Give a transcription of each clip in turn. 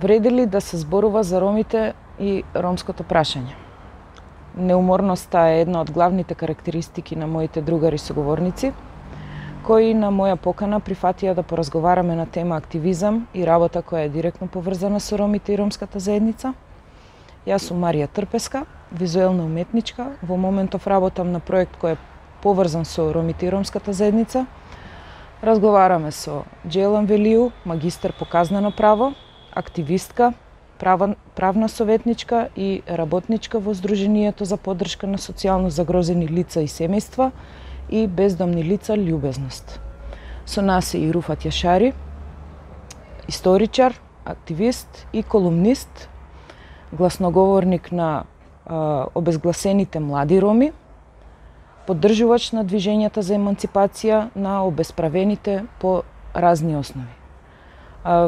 Вреди ли да се зборува за ромите и ромското прашање? Неуморноста е една од главните карактеристики на моите другари соговорници, кои на моја покана прифатија да поразговараме на тема активизам и работа која е директно поврзана со ромите и ромската заедница. Јас сум Марија Трпеска, визуелна уметничка, во моментов работам на проект кој е поврзан со ромите и ромската заедница. Разговараме со Джелан Велију, магистар по казнено право, активистка, правна советничка и работничка во Сдруженијето за поддршка на социјално загрозени лица и семејства и бездомни лица Љубезност. Со нас е и Руфат Јашари, историчар, активист и колумнист, гласноговорник на обезгласените млади роми, поддржувач на движењата за еманципација на обесправените по разни основи.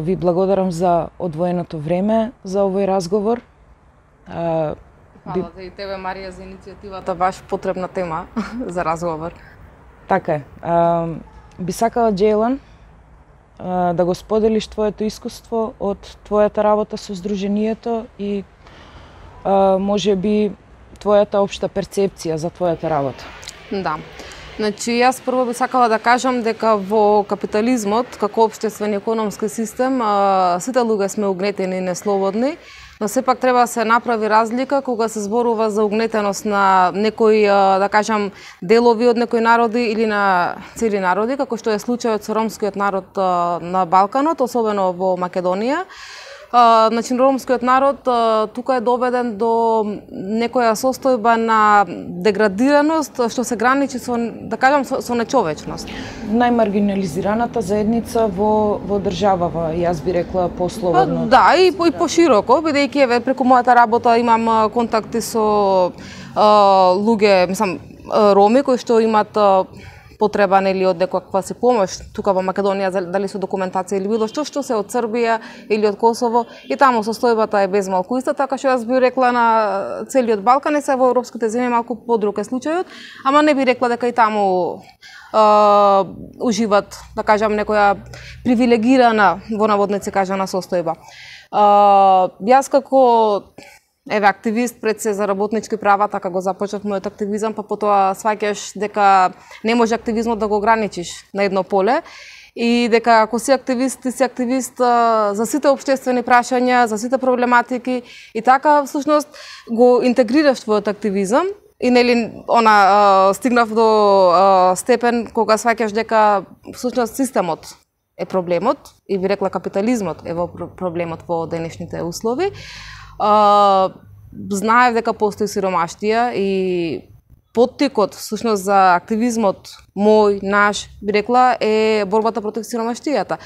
Ви благодарам за одвоеното време за овој разговор. Фала за и тебе, Марија, за иницијативата, баш потребна тема за разговор. Така е. Би сакала, Джейлан, да го споделиш твоето искуство од твојата работа со Сдруженијето и може би твојата општа перцепција за твојата работа. Да. Значи, јас прво би сакала да кажам дека во капитализмот, како општествен и економски систем, сите луѓе сме угнетени и неслободни, но сепак треба да се направи разлика кога се зборува за угнетеност на некои, да кажам, делови од некои народи или на цели народи, како што е случајот со ромскиот народ на Балканот, особено во Македонија. Значи, ромскиот народ тука е доведен до некоја состојба на деградираност, што се граничи со, да кажам, со нечовечност. Најмаргинализираната заедница во државава, јас би рекла послободно. Да, и пошироко, бидејќи преку мојата работа имам контакти со луѓе, мислам, роми кои што имат потреба нели од некаква се помош тука во Македонија, дали со документација или било што се од Србија или од Косово, и таму состојбата е безмалку иста, така што јас би рекла на целиот Балкан, и се во европските земји малку подруг е случајот, ама не би рекла дека и таму уживат, да кажам, некоја привилегирана, во наводници кажана, состојба. Јас како активист пред се за работнички права, така го започнав мојот активизам, па потоа сваќаш дека не може активизмот да го ограничиш на едно поле и дека ако си активист, ти си активист за сите општествени прашања, за сите проблематики, и така всушност го интегрираш твојот активизам и нели стигнав до степен кога сваќаш дека всушност системот е проблемот и би рекла капитализмот е во проблемот во денешните услови. Знаев дека постои сиромаштија и поттикот всушност за активизмот мој, наш, би рекла, е борбата против сиромаштијата.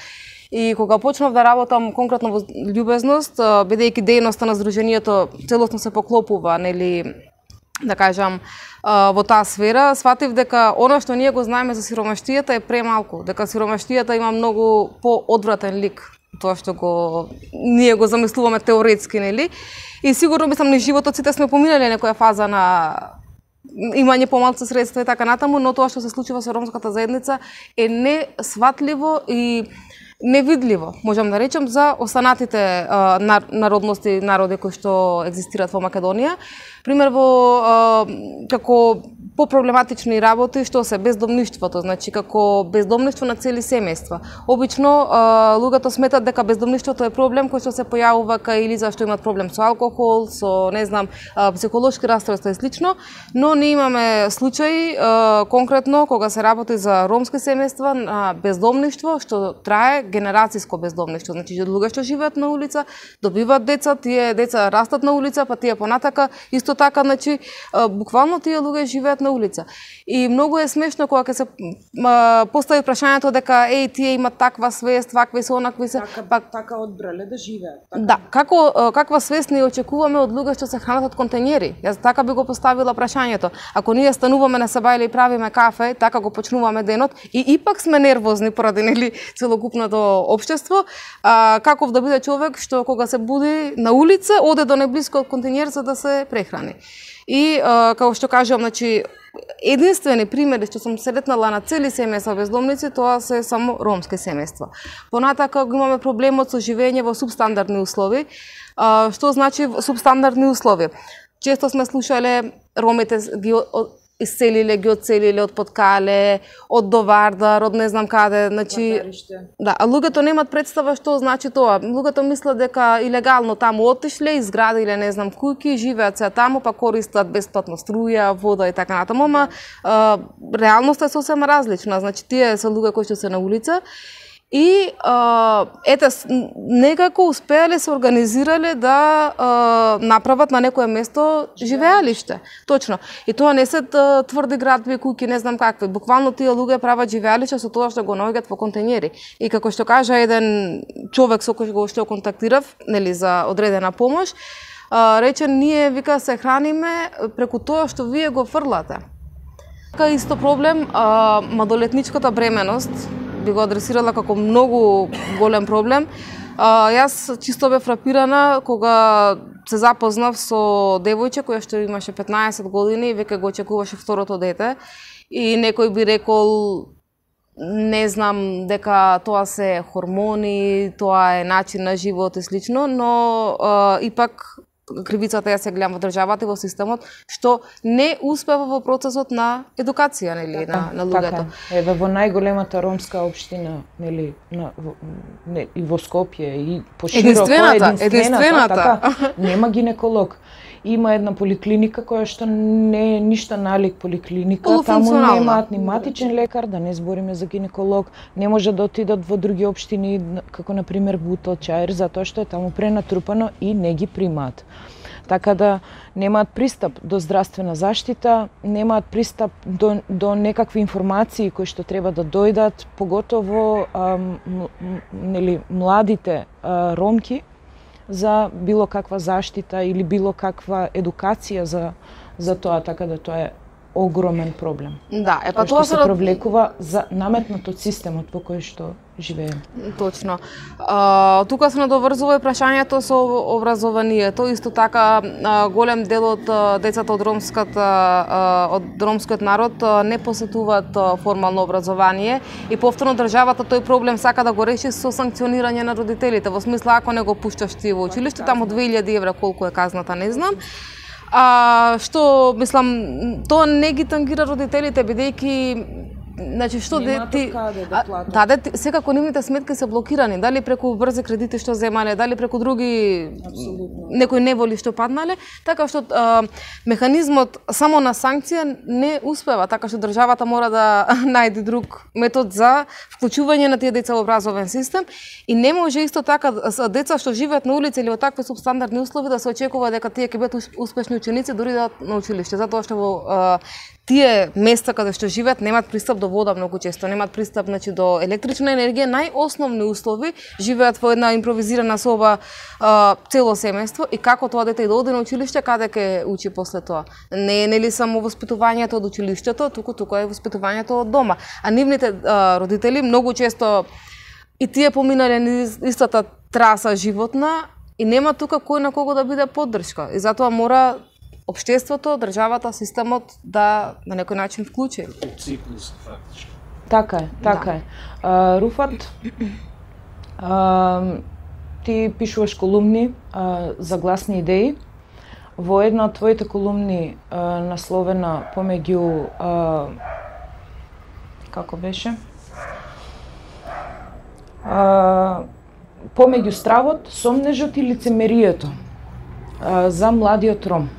И кога почнав да работам конкретно во Љубезност, бидејќи дејноста на Сдруженијето целосно се поклопува, нели, да кажам, во таа сфера, сватив дека она што ние го знаеме за сиромаштијата е премалку, дека сиромаштијата има многу поодвратен лик, тоа што ние го замислуваме теоретски, нели? И сигурно мислам низ животот сите сме поминали некоја фаза на имање помалку средства и така натаму, но тоа што се случува со ромската заедница е несватливо и невидливо, можам да речем, за останатите народности, народи кои што екзистираат во Македонија. Пример во како попроблематични работи што се бездомништвото, значи како бездомништво на цели семејства. Обично луѓето сметат дека бездомништвото е проблем кој што се појавува кај или зашто имат проблем со алкохол, со не знам, психолошки расстройства и слично, но ние имаме случаи конкретно кога се работи за ромски семејства на бездомништво што трае генерациско бездомништво, значи луѓе што живеат на улица, добиваат деца, тие деца растат на улица, па тие понатака исто така, значи буквално тие луѓе живеат на улица. И многу е смешно кога се постави прашањето дека тие имат таква свест, вакви се, онакви се, така одбрале да живеат. Така. Да, каква свест ние очекуваме од луѓе што се хранат од контењери? Јас така би го поставила прашањето. Ако ние стануваме на Сабајле и правиме кафе, така го почнуваме денот и ипак сме нервозни поради нели целокупното општество, каков да биде човек што кога се буди на улица, оде до најблискиот контењер за да се прехрани. И како што кажувам, значи единствени примери што сум сретнала на цели семејства бездомници, тоа се само ромски семејства. Понатака го имаме проблемот со живење во субстандардни услови. Што значи субстандардни услови? Често сме слушале ромите ги исцелиле, ги одцелиле од Подкале, од Довардар, од не знам каде, значи да, а луѓето немаат представа што значи тоа. Луѓето мислат дека илегално таму отишле, изградиле не знам куќи, живеат се таму, па користат бесплатно струја, вода и така натаму, ама реалноста е сосема различна. Значи тие се луѓе кои што се на улица. И ете, некако успеале се организирале да направат на некое место живеалиште. Точно. И тоа не се тврди градби, куќи, не знам какви. Буквално тие луѓе прават живеалиште со тоа што го наоѓаат во контењери. И како што кажа еден човек со кој што контактирав, нели, за одредена помош, рече, ние, вика, се храниме преку тоа што вие го фрлате. Така исто проблем, малолетничката бременост, би го адресирала како многу голем проблем. Јас чисто бе фрапирана кога се запознав со девојче која што имаше 15 години и веќе го очекуваше второто дете. И некој би рекол, не знам, дека тоа се хормони, тоа е начин на живот и слично, но ипак кривицата ја се гледам во државата и во системот, што не успева во процесот на едукација, нели, на луѓето. Еве во најголемата ромска општина, нели, и во Скопје и пошироко единствената, така, нема гинеколог. Има една поликлиника која што не е ништа налик поликлиника, таму немаат ни матичен лекар, да не збориме за гинеколог, не може да отидат во други општини, како на пример Бутел, Чаир, затоа што е таму пренатрупано и не ги примаат. Така да немаат пристап до здравствена заштита, немаат пристап до некакви информации кои што треба да дојдат, поготово нели, младите ромки, за било каква заштита или било каква едукација за тоа, така да тоа е огромен проблем. Да, па тоа се провлекува за наметнат од системот во кој што живееме. Точно. Тука се надоврзува и прашањето со образованието. Исто така голем дел од децата од ромскиот народ не посетуваат формално образование и повторно државата тој проблем сака да го реши со санкционирање на родителите. Во смисла, ако не го пушташ ти во училиште, таму 2000 евра колку е казната, не знам. Што, мислам, тоа не ги тангира родителите, бидејќи значи што ти да платат. Да, секако нивните сметки се блокирани, дали преку брзи кредити што земале, дали преку други некои неволи што паднале, така што механизмот само на санкција не успева, така што државата мора да најде друг метод за вклучување на тие деца во образовен систем и не може исто така деца што живеат на улица или во такви субстандардни услови да се очекува дека тие ќе бидат успешни ученици дури да на училиште, затоа што во тие места каде што живеат немаат пристап до вода многу често, немаат пристап, значи, до електрична енергија, најосновни услови, живеат во една импровизирана соба цело семејство и како тоа дете да оди на училиште, каде ќе учи после тоа? Не е нели само воспитувањето од училиштето, туку е воспитувањето од дома. А нивните родители многу често и тие поминале низ истата траса животна и нема тука кој на кого да биде поддршка. И затоа мора општеството, државата, системот да на некој начин вклучи. Циклус, фактички. Така е, така е. Руфат, ти пишуваш колумни за гласни идеи. Во една од твоите колумни насловена помеѓу како беше? Помеѓу стравот, сомнежот и лицемерието за младиот ром.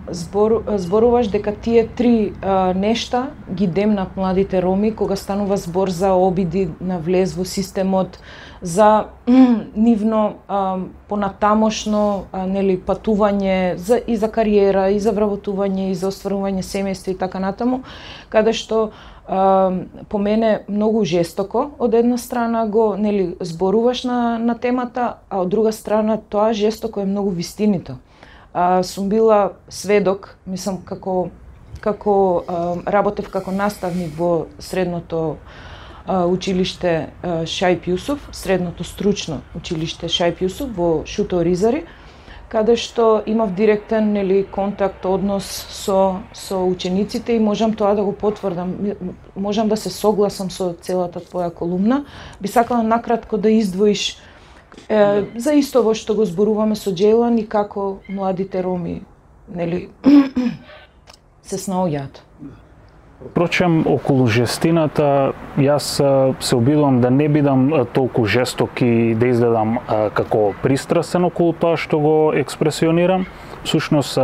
Зборуваш дека тие три нешта ги демнат младите роми кога станува збор за обиди на влез во системот, за нивно понатамошно нели патување и за кариера, и за вработување, и за остварување семејство и така натаму, каде што по мене многу жестоко од една страна го нели зборуваш на темата, а од друга страна тоа жестоко е многу вистинито. Сум била сведок, мислам како работев како наставник во средното училиште Шајп Јусуф, средното стручно училиште Шајп Јусуф во Шуто Оризари, каде што имав директен контакт, однос со учениците и можам тоа да го потврдам. Можам да се согласам со целата твоја колумна. Би сакала накратко да издвоиш за исто во што го зборуваме со Джейлан и како младите роми се снаоѓаат. Впрочем, околу жестината, јас се обидувам да не бидам толку жесток и да изгледам како пристрасен околу тоа што го експресионирам. Всушност,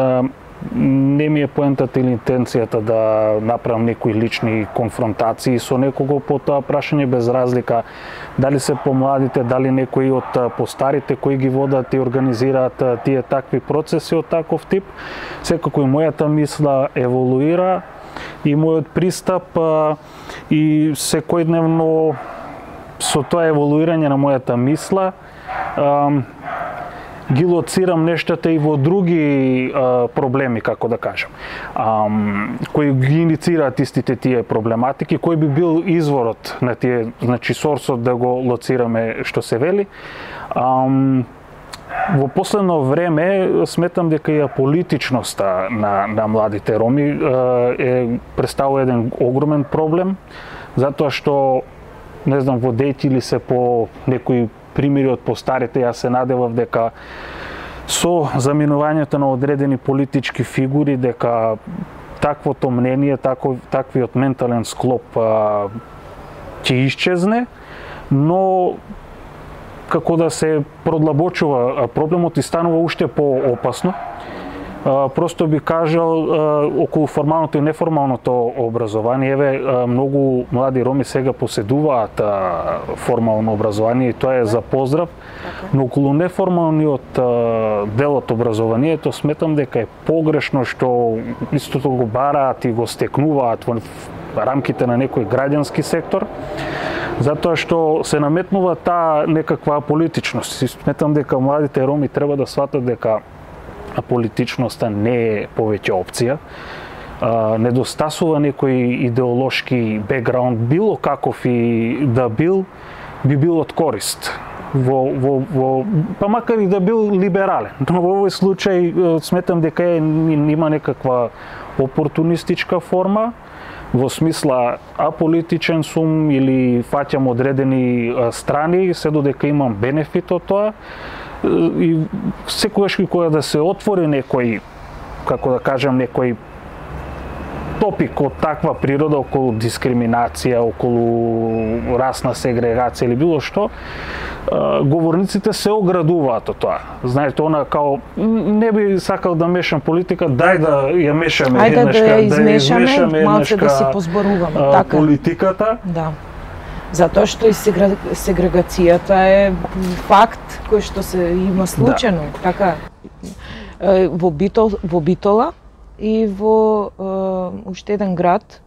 не ми е поентата или интенцијата да направам некои лични конфронтации со некого по тоа прашање, без разлика дали се помладите, дали некои од постарите кои ги водат и организираат тие такви процеси од таков тип. Секако и мојата мисла еволуира и мојот пристап и секојдневно со тоа еволуирање на мојата мисла ги лоцирам нештата и во други проблеми, како да кажам, кои ги инициираат истите тие проблематики, кој би бил изворот на тие, значи сорсот да го лоцираме што се вели. Во последно време сметам дека и аполитичноста на младите роми представува еден огромен проблем, затоа што, не знам, водејќи ли се по некои примери од постарите, јас се надевав дека со заминувањето на одредени политички фигури, дека таквото мнение, таквиот ментален склоп ќе исчезне, но како да се продлабочува проблемот и станува уште поопасно. Просто би кажал околу формалното и неформалното образование. Еве, многу млади роми сега поседуваат формално образование и тоа е за поздрав, но околу неформалниот дел од образованието сметам дека е погрешно што истото го бараат и го стекнуваат во рамките на некој граѓански сектор, затоа што се наметнува таа некаква политичност. Сметам дека младите роми треба да сватат дека политичноста не е повеќе опција. Недостасува некој идеолошки бекграунд, било каков и да бил, би бил од корист. Па макар и да бил либерален. Но во овој случај сметам дека има некаква опортунистичка форма, во смисла аполитичен сум или фаќам одредени страни, се додека имам бенефит од тоа. И секогаш кога да се отвори некој, како да кажам, некој топик од таква природа околу дискриминација, околу расна сегрегација или било што, говорниците се оградуваат од тоа. Знаете, она као не би сакал да мешам политика, дај да ја мешаме еднашка, да ја измешаме, малце да си позборуваме така политиката. Да. Затоа што и сегрегацијата е факт кој што се има случајно, така во Битола и во уште еден град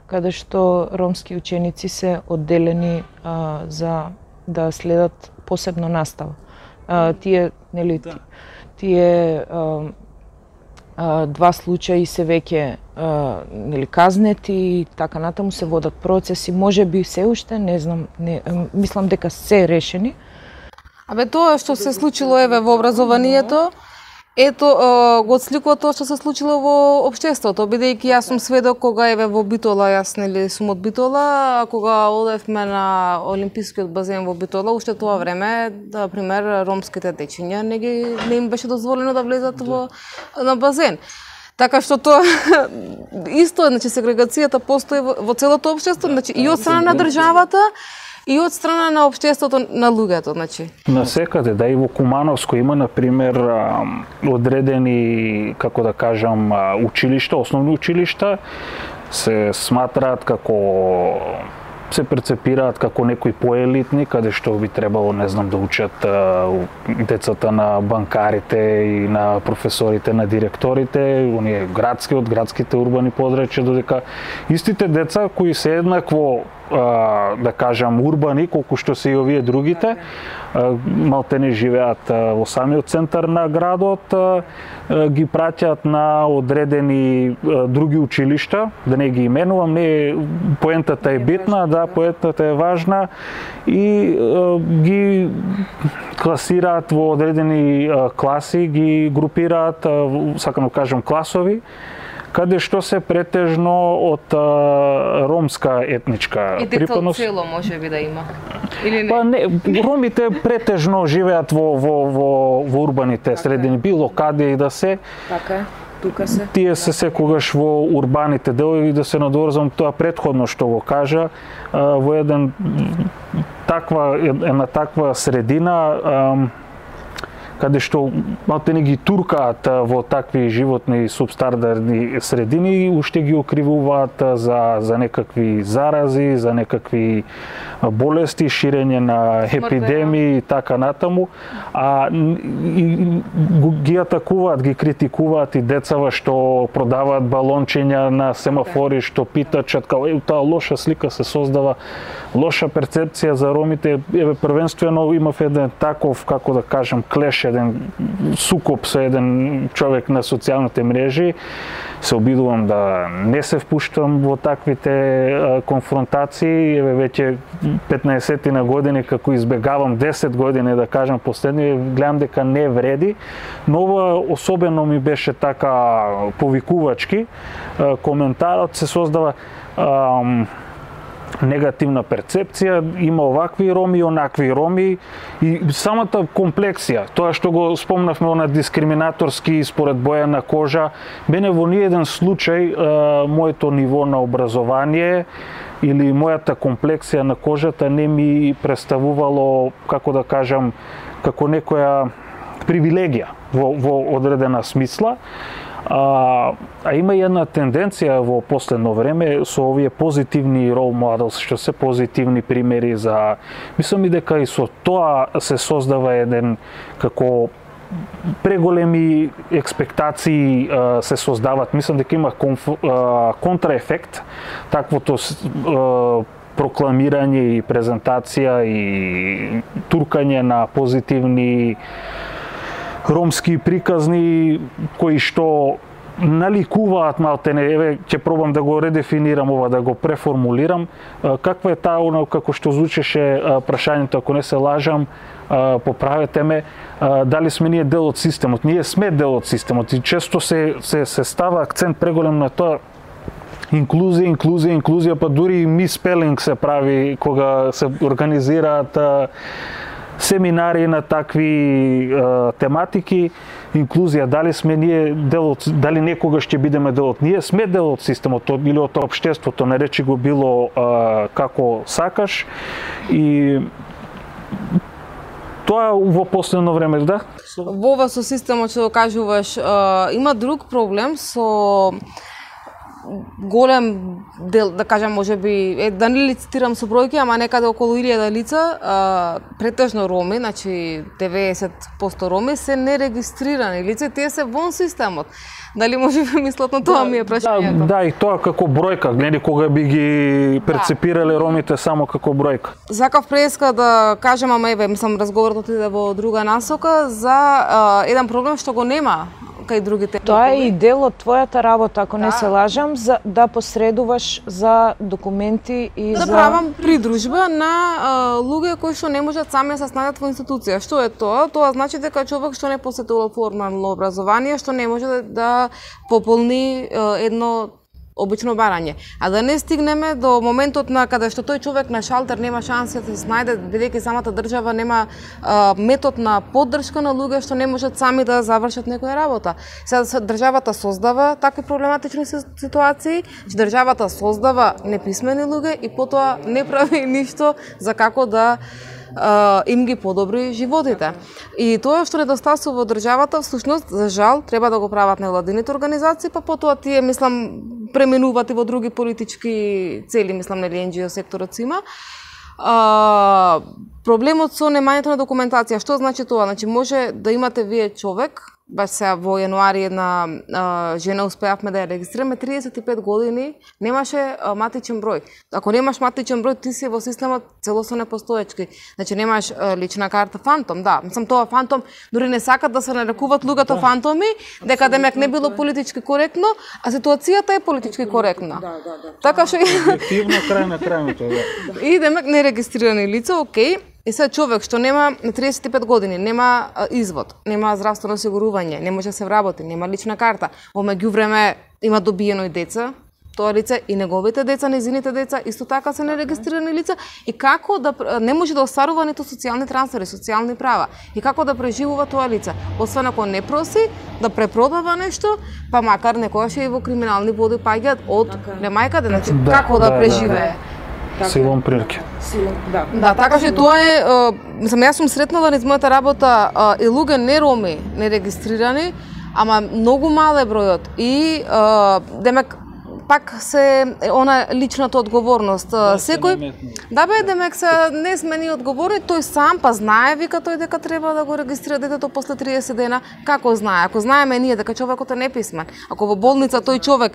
каде што ромски ученици се одделени за да следат посебно настава. Тие два случаи се веќе казнети и така натаму се водат процеси, можеби се уште, не знам, мислам дека се решени. Тоа што се случило еве во образованието, ето го отсликува тоа што се случило во општеството, бидејќи јас сум сведок кога еве во Битола, јас сум од Битола, кога одевме на олимпискиот базен во Битола, уште тоа време, да пример, ромските дечиња не им беше дозволено да влезат на базен. Така што тоа исто, значи сегрегацијата постои во целото општество, значи и од страна на државата, и од страна на општеството на луѓето, значи. Насекаде, да, и во Кумановско има, например, одредени, како да кажам, училишта, основни училишта, се сматраат како се прецепираат како некои поелитни, каде што би требало, не знам, да учат децата на банкарите и на професорите, на директорите, оние градски, од градските урбани подрачја, додека истите деца кои се еднакво да кажам урбани колку што се и овие другите. Малтене живеат во самиот центар на градот, ги праќаат на одредени други училишта, да не ги именувам, не поентата е битна, да, поентата е важна и ги класираат во одредени класи, ги групираат, сакам да кажам класови, каде што се претежно од ромска етничка припадност. И цело може би да има. Или не? Па не, ромите претежно живеат во урбаните средини, било каде и да се. Така е. Тука се. Тие се секогаш во урбаните делови, да се надврзам тоа претходно што го кажа, во една таква средина каде што малтене ги туркаат во такви животни субстандарни средини и уште ги окривуваат за некакви зарази, за некакви болести, ширење на епидемии и така натаму, ги атакуваат, ги критикуваат и децава што продаваат балончиња на семафори, што питачат као таа лоша слика се создава, лоша перцепција за ромите. Првенствено имав еден таков, како да кажам, клеш, еден сукоп со еден човек на социјалните мрежи. Се обидувам да не се впуштам во таквите конфронтации. Веќе 15 на години како избегавам 10 години, да кажам, последни, гледам дека не вреди, но ова особено ми беше така повикувачки. Коментарот се создава негативна перцепција, има овакви роми и онакви роми и самата комплексија, тоа што го спомнавме на дискриминаторски според боја на кожа, мене во ниеден случај моето ниво на образование или мојата комплексија на кожата не ми представувало, како да кажам, како некоја привилегија во одредена смисла. Има и една тенденција во последно време со овие позитивни role models, што се позитивни примери за... Мислам и дека и со тоа се создава еден како преголеми експектации се создават. Мислам дека има контраефект, таквото прокламирање и презентација и туркање на позитивни ромски приказни кои што наликуваат малтене, ќе пробам да го редефинирам ова, да го преформулирам. Каква е таа, како што звучеше прашањето, ако не се лажам, поправете ме, дали сме ние дел од системот? Ние сме дел од системот и често се става акцент преголем на тоа инклузија, па дури и миспелинг се прави кога се организираат семинари на такви тематики. Инклузија, дали сме ние дел од, дали некогаш ќе бидеме дел од, ние сме дел од системот или од општеството, наречи го било како сакаш, и тоа во последно време, да? Во ова со системот што кажуваш, има друг проблем со голем дел, да кажам, можеби, да не лицитирам со бројки, ама некаде околу 1000 лица, претежно роми, значи 90% роми се нерегистрирани лица, тие се вон системот. Дали може би мислат на тоа, ми е прашањето? Да, и тоа како бројка, гледи кога би ги перцепирале ромите само како бројка. Сакав преска да кажам, ама еве, мислам, разговорот отиде во друга насока, за еден проблем што го нема кај другите. Тоа е и дел од твојата работа, ако не се лажам, за да посредуваш за документи и да правам придружба на луѓе кои што не можат сами да се снајдат во институција. Што е тоа? Тоа значи дека човек што не посетувал формално образование, што не може да пополни едно обично барање. А да не стигнеме до моментот на каде што тој човек на шалтер нема шанса да се снајде, бидејќи самата држава нема метод на поддршка на луѓе што не можат сами да завршат некоја работа. Сега државата создава такви проблематични ситуации, државата создава неписмени луѓе и потоа не прави ништо за како да им ги подобри животите. И тоа што недостасува во државата, всушност, за жал, треба да го прават невладините организации, па потоа тие, мислам, преминуваат и во други политички цели, мислам, нели NGO секторот си има. Проблемот со немањето на документација, што значи тоа? Значи, може да имате вие човек, баш сега во јануари една жена успеавме да ја регистрираме, 35 години немаше матичен број. Ако немаш матичен број, ти си во системот целосно непостоечки. Значи немаш лична карта фантом, да. Мислам тоа фантом, дури не сакат да се нарекуваат луѓето фантоми, дека демек не било политички коректно, а ситуацијата е политички коректна. Така што објективно крај на крајното, да. И демек нерегистрирани лица, окей. И сега човек што нема 35 години, нема извод, нема здравствено осигурување, не може да се вработи, нема лична карта, во меѓувреме има добиено и деца, тоа лице и неговите деца, незините деца, исто така се нерегистрирани лица, и како да не може да остварува ниту социјални трансфери, социјални права, и како да преживува тоа лице, освен ако не проси да препродава нешто, па макар некогаш и во криминални води паѓаат од немајкаде, значи како да преживее. Силом прилики. Да, така што тоа е, мислам, јас сум сретнала низ мојата работа и луѓе не роми, нерегистрирани, ама многу мал е бројот. И демек пак се она личната одговорност. Секој да бе, демек се не сме ни одговорни, тој сам па знае, вика тој дека треба да го регистрира детето после 30 дена. Како знае? Ако знаеме ние дека човекот е неписмен, ако во болница тој човек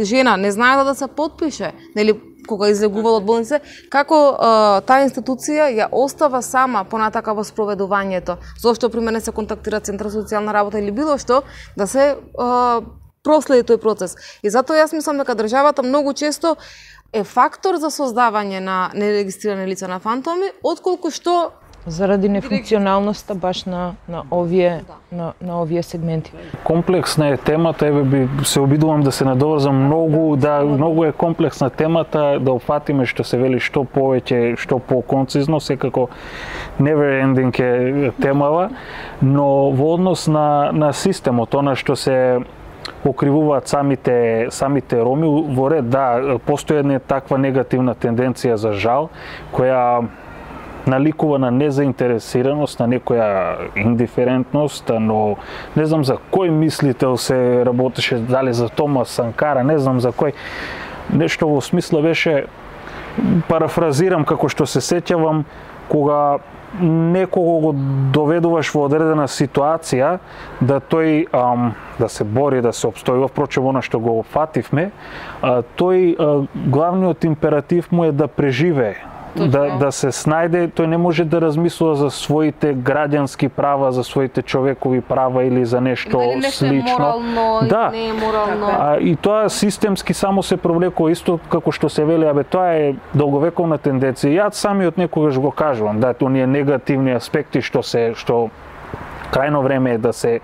жена не знае да се потпише, нели кога излегувал од болница, како таа институција ја остава сама понатака во спроведувањето. Зошто при мене се контактира Центар за социјална работа или било што да се проследи тој процес. И затоа јас мислам дека државата многу често е фактор за создавање на нерегистрирани лица на фантоми, отколку што заради нефункционалноста баш на овие сегменти. Комплексна е темата, еве би се обидувам да се надоврзам многу е комплексна темата, да опфатиме што се вели што повеќе, што поконцизно, секако never ending е темава, но во однос на системот, она што се окривуваат самите роми, во ред, да, постои една таква негативна тенденција за жал, која наликува на незаинтересираност, на некоја индиферентност, но не знам за кој мислител се работеше, дали за Томас Санкара, не знам за кој. Нешто во смисла беше, парафразирам како што се сеќавам, кога некого го доведуваш во одредена ситуација, да тој да се бори, да се обстојува, впрочем она што го фативме, тој главниот императив му е да преживее. Да се снајде, тој не може да размислува за своите граѓански права, за своите човекови права или за нешто слично. Морално, да. Не е морално. И тоа системски само се провлекува, исто како што се вели, тоа е долговековна тенденција. Јас самиот некогаш го кажувам, да, оние негативни аспекти што крајно време е да се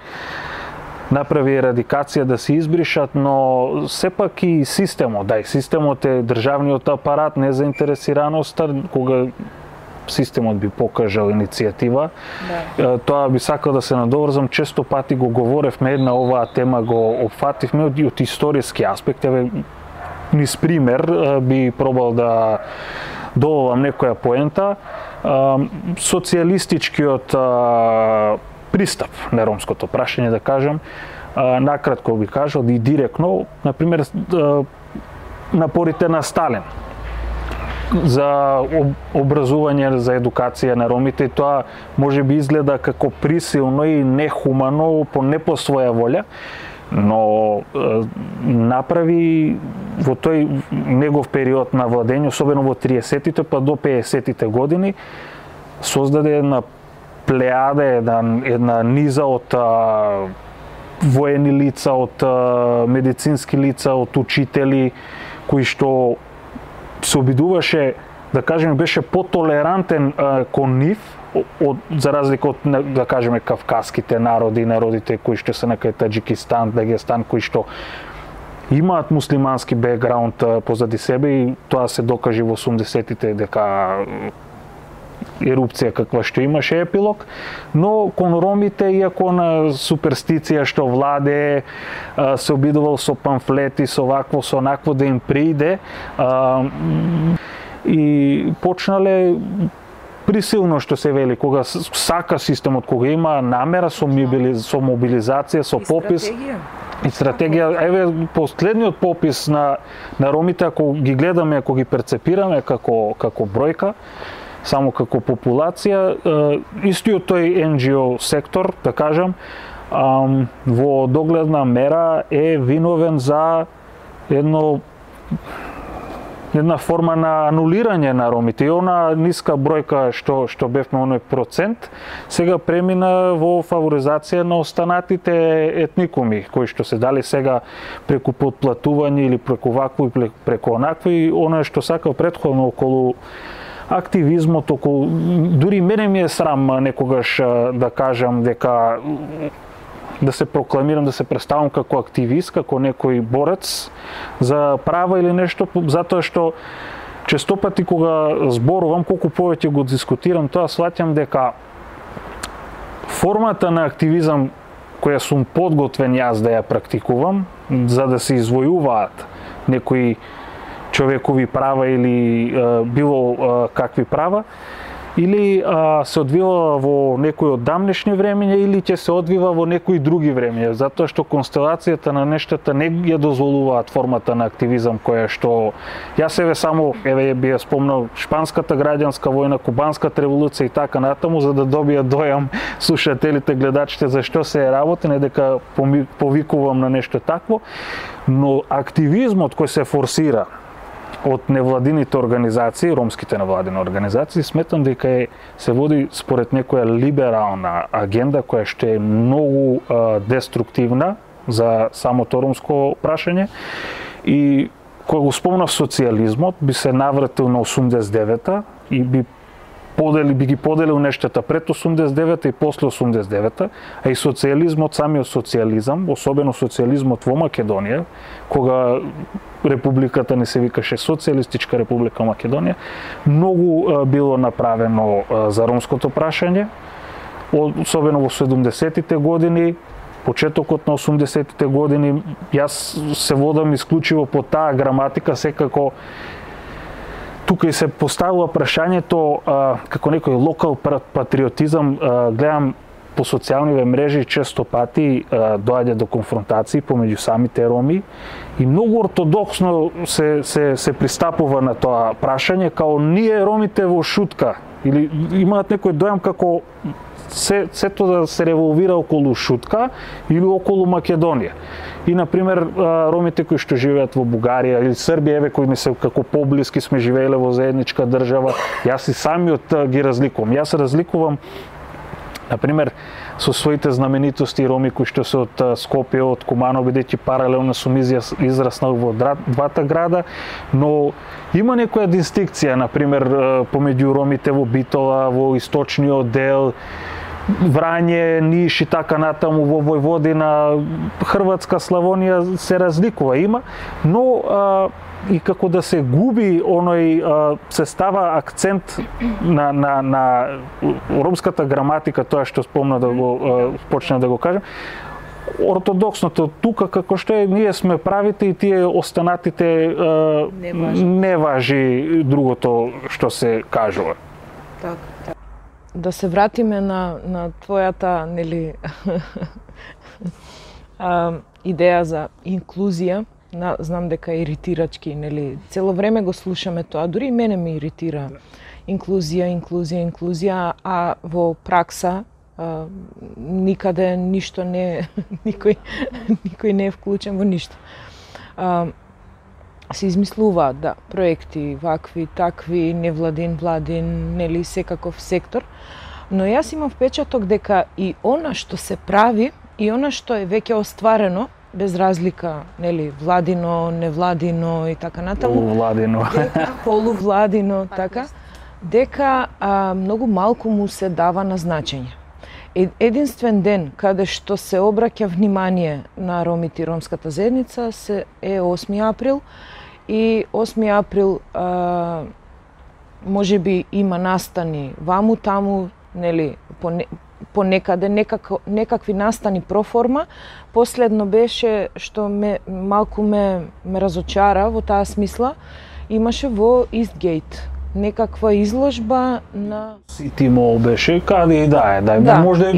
направи ерадикација, да се избришат, но сепак и системот, да, и системот е државниот апарат, незаинтересираноста, кога системот би покажал иницијатива. Да. Тоа би сакал да се надоврзам, често пати го говоревме, една оваа тема го опфативме од историски аспект, еве низ пример би пробал да добавам некоја поента. Социјалистичкиот пристап на ромското прашање, да кажам, накратко би кажал и директно, например, напорите на Сталин за образување, за едукација на ромите, тоа може би изгледа како присилно и нехумано, не по своја волја, но направи во тој негов период на владење, особено во 30-тите па до 50-тите години, создаде една плејада, една низа од воени лица, од медицински лица, од учители, кои што се обидуваше, да кажеме, беше потолерантен кон нив, за разлика од, да кажеме, кавказските народи, народите кои што се на Таџикистан, Дагестан, кои што имаат муслимански бекграунд позади себе, и тоа се докажи во 80-тите дека ерупција каква што имаше епилог, но кон ромите, иако на суперстиција што владее, се обидувал со памфлети, со вакво, со онакво да им прииде, и почнале присилно, што се вели, кога сака системот, кога има намера со мобилизација, со попис и стратегија. Еве последниот попис на ромите, ако ги гледаме, ако ги перцепираме како бројка, само како популација, истиот тој NGO сектор, да кажам, во догледна мера е виновен за една форма на анулирање на ромите. И она ниска бројка што бевме оној процент, сега премина во фаворизација на останатите етникуми, кои што се дали сега преку потплатување или преку вакво и преку онакви, оно што сакав претходно околу активизмот, околу дури мене ми е срам некогаш да кажам дека да се прокламирам, да се представам како активист, како некој борец за права или нешто, затоа што често пати кога зборувам, колку повеќе го дискутирам тоа, сваќам дека формата на активизам која сум подготвен јас да ја практикувам, за да се извојуваат некои човекови права или било какви права, или се одвива во некои од дамнешни времења, или ќе се одвива во некои други времења, затоа што констелацијата на нештата не ја дозволуваат формата на активизам која што јас само би ја спомнал шпанската граѓанска војна, кубанската револуција и така натаму, за да добијат дојам слушателите, гледачите за што се работи, не дека повикувам на нешто такво, но активизмот кој се форсира од невладините организации, ромските невладини организации, сметам дека се води според некоја либерална агенда која што е многу деструктивна за самото ромско прашање. И кога го спомнав социјализмот, би се навратил на 89-та и би ги поделил нештата пред 89-та и после 89-та, а и социјализмот, самиот социјализам, особено социјализмот во Македонија, кога републиката не се викаше Социјалистичка република Македонија, многу било направено за ромското прашање, особено во 70-тите години, почетокот на 80-тите години. Јас се водам исклучиво по таа граматика, секако тука и се поставува прашањето како некој локал патриотизам. Гледам по социјалниве мрежи често пати доаѓа до конфронтации помеѓу самите роми и многу ортодоксно се пристапува на тоа прашање, као ние ромите во шутка, или имаат некој дојам како сето да се револвира околу шутка или околу Македонија. И, например, ромите кои што живеат во Бугарија или Србија, кои ми се како поблиски сме живееле во заедничка држава, јас и самиот ги разликувам. Јас разликувам, например, со своите знаменитости роми кои што се од Скопје, од Кумано, бидејќи паралелно сум израснал во двата града, но има некоја дистинкција, например, помеѓу ромите во Битола, во источниот дел, Врање, Ниш и така натаму, во Војводина, Хрватска, Славонија се разликува, има, но и како да се губи оној, се става акцент на ромската граматика, тоа што спомна да го почна да го кажам, ортодоксното тука како што е, ние сме правите и тие останатите не важи другото што се кажува. Так. Да се вратиме на твојата, нели, идеја за инклузија. Знам дека е иритирачки, нели, цело време го слушаме тоа, дури и мене ме иритира. Инклузија, а во пракса никаде ништо не никој не е вклучен во ништо. Се измислуваат, да, проекти, вакви, такви, невладин, владин, нели, секаков сектор, но јас имам впечаток дека и она што се прави, и она што е веќе остварено, без разлика, нели, владино, невладино и така натаму. Полувладино, така, дека многу малку му се дава на значење. Единствен ден каде што се обраќа внимание на ромите и ромската заедница е 8 април и 8 април можеби има настани ваму таму, нели, понекаде некакви настани проформа. Последно беше што малку ме разочара во таа смисла, имаше во Истгейт некаква изложба на Сити Мол беше, каде и да, може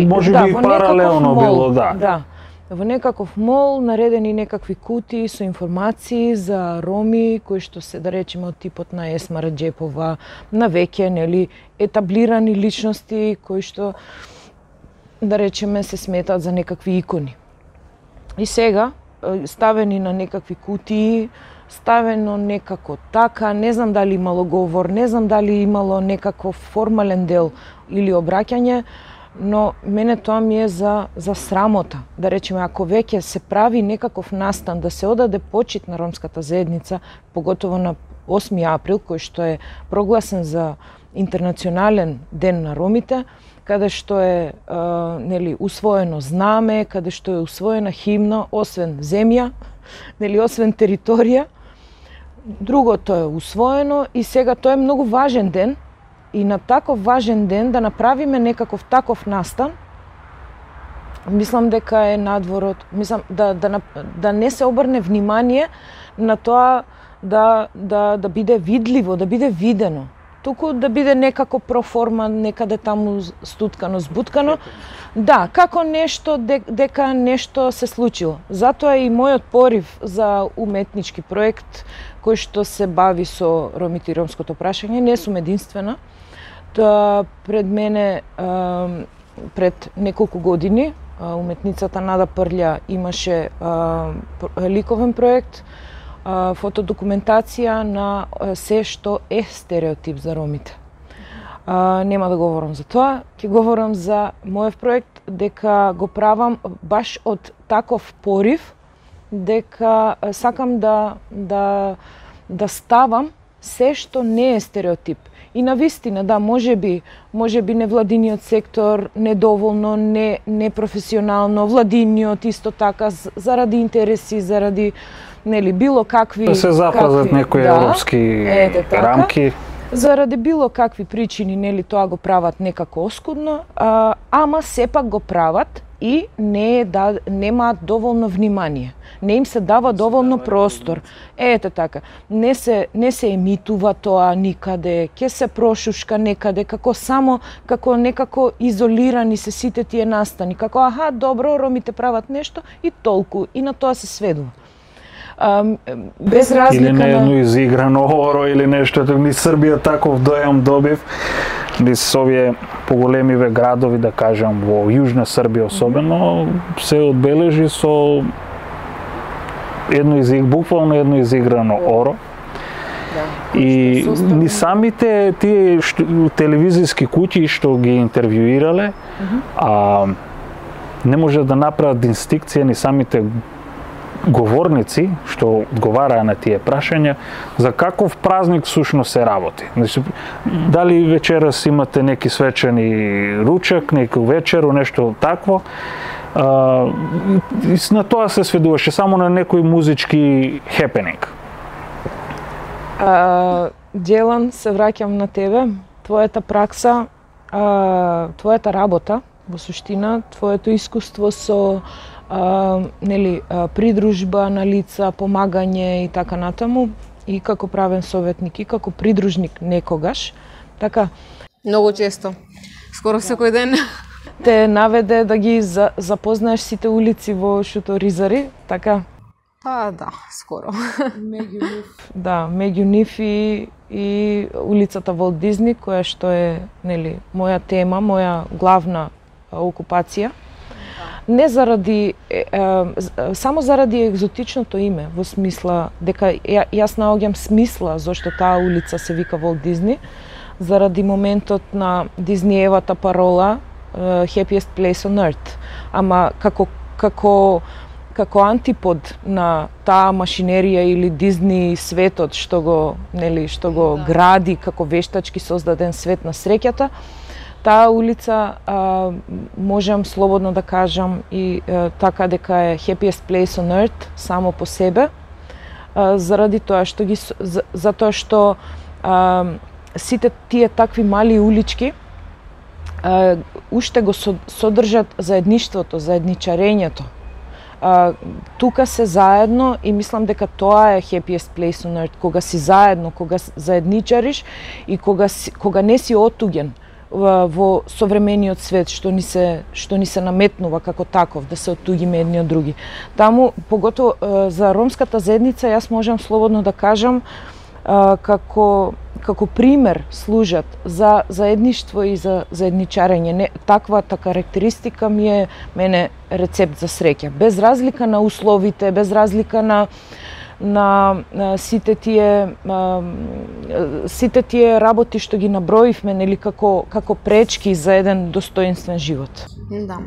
би паралелно било, да. Да. Во некаков мол наредени некакви кутии со информации за роми кои што се, да речеме, од типот на Есма Раџепова, на веќе, нели, етаблирани личности кои што да речеме, се сметаат за некакви икони. И сега, ставени на некакви кутии, ставено некако така, не знам дали имало говор, не знам дали имало некаков формален дел или обраќање, но мене тоа ми е за срамота. Да речеме, ако веќе се прави некаков настан да се одаде почит на ромската заедница, поготово на 8 април, кој што е прогласен за интернационален ден на ромите, каде што е усвоено знаме, каде што е усвоена химна, освен земја, освен територија, другото е усвоено и сега тоа е многу важен ден и на таков важен ден да направиме некаков таков настан, мислам дека е надворот, мислам да не се обрне внимание на тоа да биде видливо, да биде видено. Туку да биде некако проформа, некаде таму стуткано, збуткано. Да, како нешто, дека нешто се случило. Затоа и мојот порив за уметнички проект, кој што се бави со ромите и ромското прашање, не сум единствена. Тоа пред мене, пред неколку години, уметницата Нада Прлја имаше ликовен проект, фотодокументација на се што е стереотип за ромите. Нема да говорам за тоа, ќе говорам за мојот проект, дека го правам баш од таков порив, дека сакам да ставам се што не е стереотип. И навистина, да, можеби невладиниот сектор недоволно, непрофесионално, владиниот исто така, заради интереси, заради било какви... Да се запазат некои европски рамки. Заради било какви причини, тоа го прават некако оскудно, ама сепак го прават и немаат доволно внимание. Не им се дава доволно простор. Ете така, не се емитува тоа никаде, ќе се прошушка некаде, како некако изолирани се сите тие настани, како добро, ромите прават нешто и толку, и на тоа се сведува. Без разлика или не едно изиграно оро или нешто, ни Србија таков дојам добив, низ овие поголемиве градови, да кажам, во Јужна Србија особено, се одбележи со буквално едно изиграно оро. И ни самите тие телевизиски куќи што ги интервјуирале, не може да направат инстинкција ни самите говорници што одговараа на тие прашања за каков празник сушност се работи. Значи, дали вечерас имате неки свечени ручак, неки вечеру, нешто такво. На тоа се сведуваше само на некој музички хепенинг. Делан, се враќам на тебе. Твојата пракса, твојата работа, во суштина, твоето искуство со придружба на лица, помагање и така натаму, и како правен советник, и како придружник некогаш. Така, многу често, скоро секој ден. Те наведе да ги запознаеш сите улици во Шуторизари, така? Па да, скоро. Меѓу нив и улицата Волт Дизни, која што е моја тема, моја главна окупација. Не заради, само заради екзотичното име, во смисла дека јас наоѓам смисла зашто таа улица се вика Волт Дизни, заради моментот на Дизниевата парола Happiest Place on Earth. Ама како антипод на таа машинерија или Дизни светот што го гради како вештачки создаден свет на среќата, таа улица, можам слободно да кажам и така дека е Happiest Place on Earth само по себе, заради тоа што сите тие такви мали улички уште го содржат заедништвото, заедничарењето. Тука се заедно и мислам дека тоа е Happiest Place on Earth, кога си заедно, кога заедничариш и кога не си отуѓен во современиот свет што ни се наметнува како таков, да се оттуѓиме едни од други. Таму, поготово за ромската заедница, јас можам слободно да кажам како како пример служат за заедништво и за заедничарење. Таквата карактеристика ми е мене рецепт за среќа. Без разлика на условите, без разлика на сите тие работи што ги наброивме, нели, како пречки за еден достоинствен живот. Да.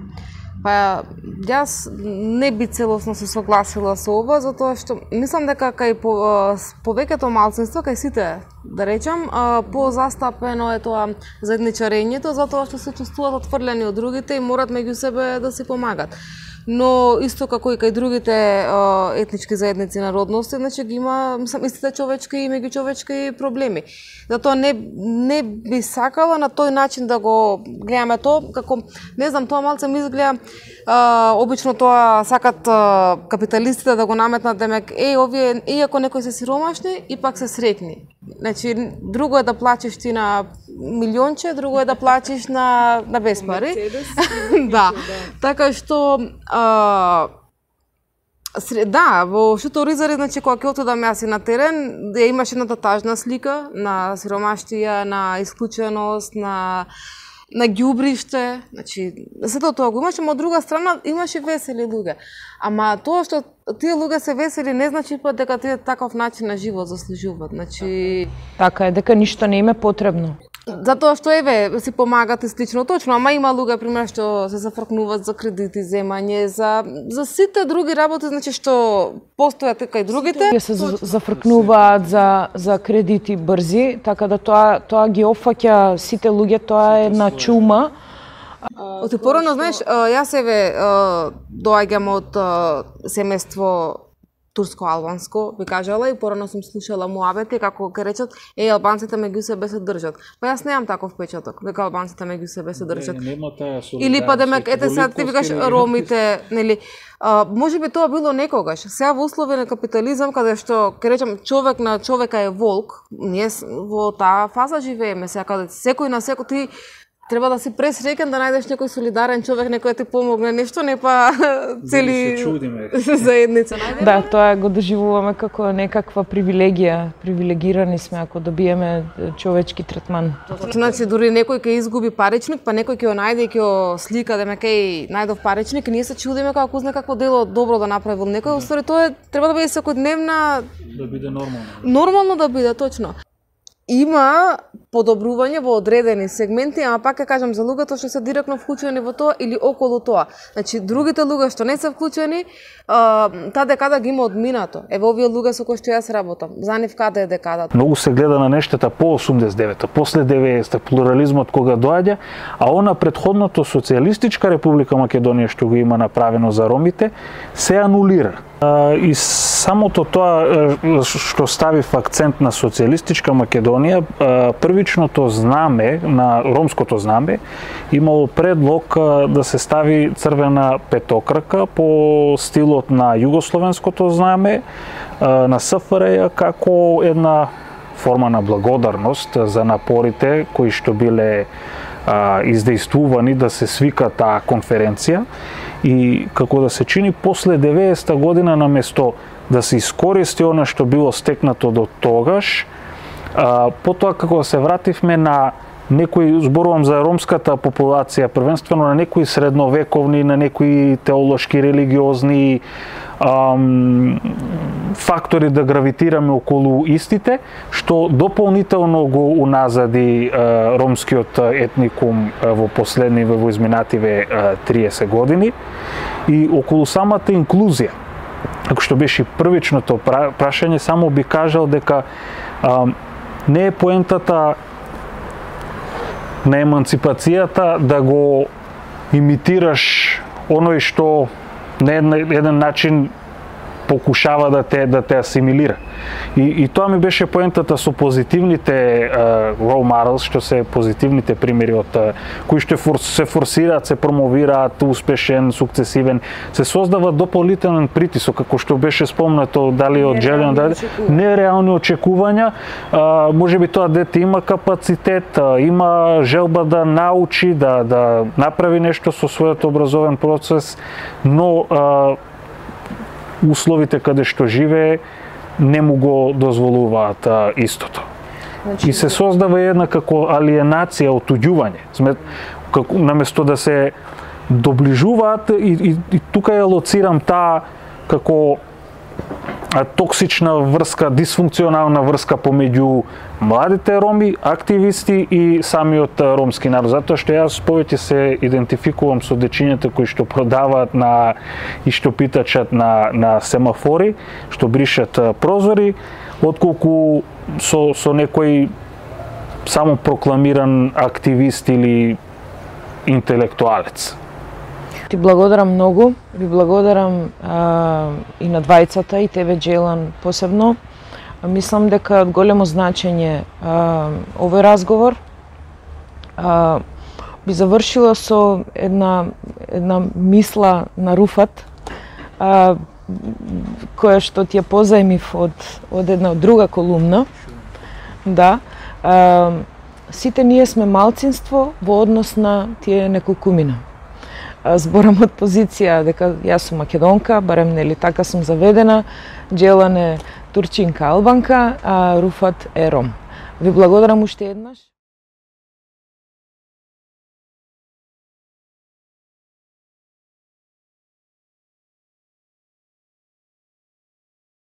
Па јас не би целосно се согласила со ова, затоа што мислам дека кај повеќето малцинства, кај сите, да речам, позастапено е тоа заедничарењето, затоа што се чувствуваат отфрлени од другите и морат меѓу себе да си помагат. Но исто како и кај другите етнички заедници народности, значи ги има истите човечки и меѓучовечки проблеми. Затоа не би сакала на тој начин да го гледаме тоа, како не знам, тоа малце ми изгледа обично тоа сакат капиталистите да го наметнат, демек овие иако некои се сиромашни и пак се среќни. Значи друго е да плачеш ти на милионче, друго е да плачеш на без пари. Да. Така што да, во Шуторизари, значи кога ќе отидам јас и на терен, имаше едната тажна слика на сиромаштија, на исклученост, на ѓубриште, значи сето тоа го имаше, но од друга страна имаше весели луѓе. Ама тоа што тие луѓе се весели не значи па дека тие таков начин на живот заслужуваат. Значи така е, дека ништо не им е потребно. Затоа што си помагат и слично, точно, ама има луѓе пример што се зафркнуваат за кредити, земање, за сите други работи, значи што постојат кај другите. Се зафркнуваат за кредити брзи, така да тоа ги опфаќа сите луѓе, тоа е една чума. Оти порано, знаеш, јас доаѓам од семејство турско-албанско, би кажала, и порано сум слушала муабети како ќе речат, албанците меѓу себе се држат. Па јас немам таков впечаток, дека албанците меѓу себе се држат. Или па демек, сега ти викаш ромите, нели, можеби тоа било некогаш. Сега во услови на капитализам, каде што, ќе речам, човек на човека е волк, ние во таа фаза живееме сега, каде секој на секој ти треба да си пресреќен да најдеш некој солидарен човек, некој ти помогне нешто, не па цели заедница. Да, тоа го доживуваме како некаква привилегија. Привилегирани сме ако добиеме човечки третман. Значи дури некој ќе изгуби паричник, па некој ќе го најде и ќе го слика демек најдов паричник и ние се чудиме како знае какво дело добро да направил некој. Устари тоа треба да биде секојдневна, да биде нормално. Нормално да биде, точно. Има подобрување во одредени сегменти, ама пак ќе кажам за луѓето што се директно вклучени во тоа или околу тоа. Значи, другите луѓе што не се вклучени, таа декада ги има одминато. Еве овие луѓе со кои што јас работам, за нив каде е декадата? Многу се гледа на нештата по 89-та, после 90-та, плурализмот кога доаѓа, а она претходното социјалистичка република Македонија што го има направено за ромите, се анулира. И самото тоа што ставив акцент на социјалистичка Македонија, првичното знаме, на ромското знаме, имало предлог да се стави црвена петокрака по стилот на југословенското знаме на СФРЈ како една форма на благодарност за напорите кои што биле издействувани да се свика таа конференција. И како да се чини после 90-та година, наместо да се искористи она што било стекнато до тогаш, потоа како да се вративме на некои, зборувам за ромската популација, првенствено на некои средновековни, на некои теолошки, религиозни фактори да гравитираме околу истите, што дополнително го уназади ромскиот етникум во изминативе 30 години и околу самата инклузија. Ако што беше првичното прашање, само би кажал дека не е поентата на еманципацијата да го имитираш оној што на еден начин покушава да те асимилира. И тоа ми беше поентата со позитивните role models, што се позитивните примери од кои што се форсираат, се промовираат, успешен, сукцесивен, се создава дополнителен притисок, како што беше спомнато дали од Джелион, нереални очекувања, можеби тоа дете има капацитет, има желба да научи, да направи нешто со својот образовен процес, но условите каде што живее не му го дозволуваат истото. И се создава една како алиенација, отуѓување. Како наместо да се доближуваат и тука ја лоцирам таа како токсична врска, дисфункционална врска помеѓу младите роми, активисти и самиот ромски народ. Затоа што јас повеќе се идентификувам со дечињата кои што продаваат и што питачат на семафори, што бришат прозори, отколку со некој само прокламиран активист или интелектуалец. Ти благодарам многу, ви благодарам и на двајцата, и тебе, Джелан, посебно. Мислам дека од големо значење овој разговор би завршила со една мисла на Руфат, која што ти ја позајмив од една друга колумна. Да. Сите ние сме малцинство во однос на тие неколкумина. Зборам од позиција дека јас сум македонка, барем нели така сум заведена, Джелан е турчинка албанка, а Руфат е ром. Ви благодарам уште еднаш.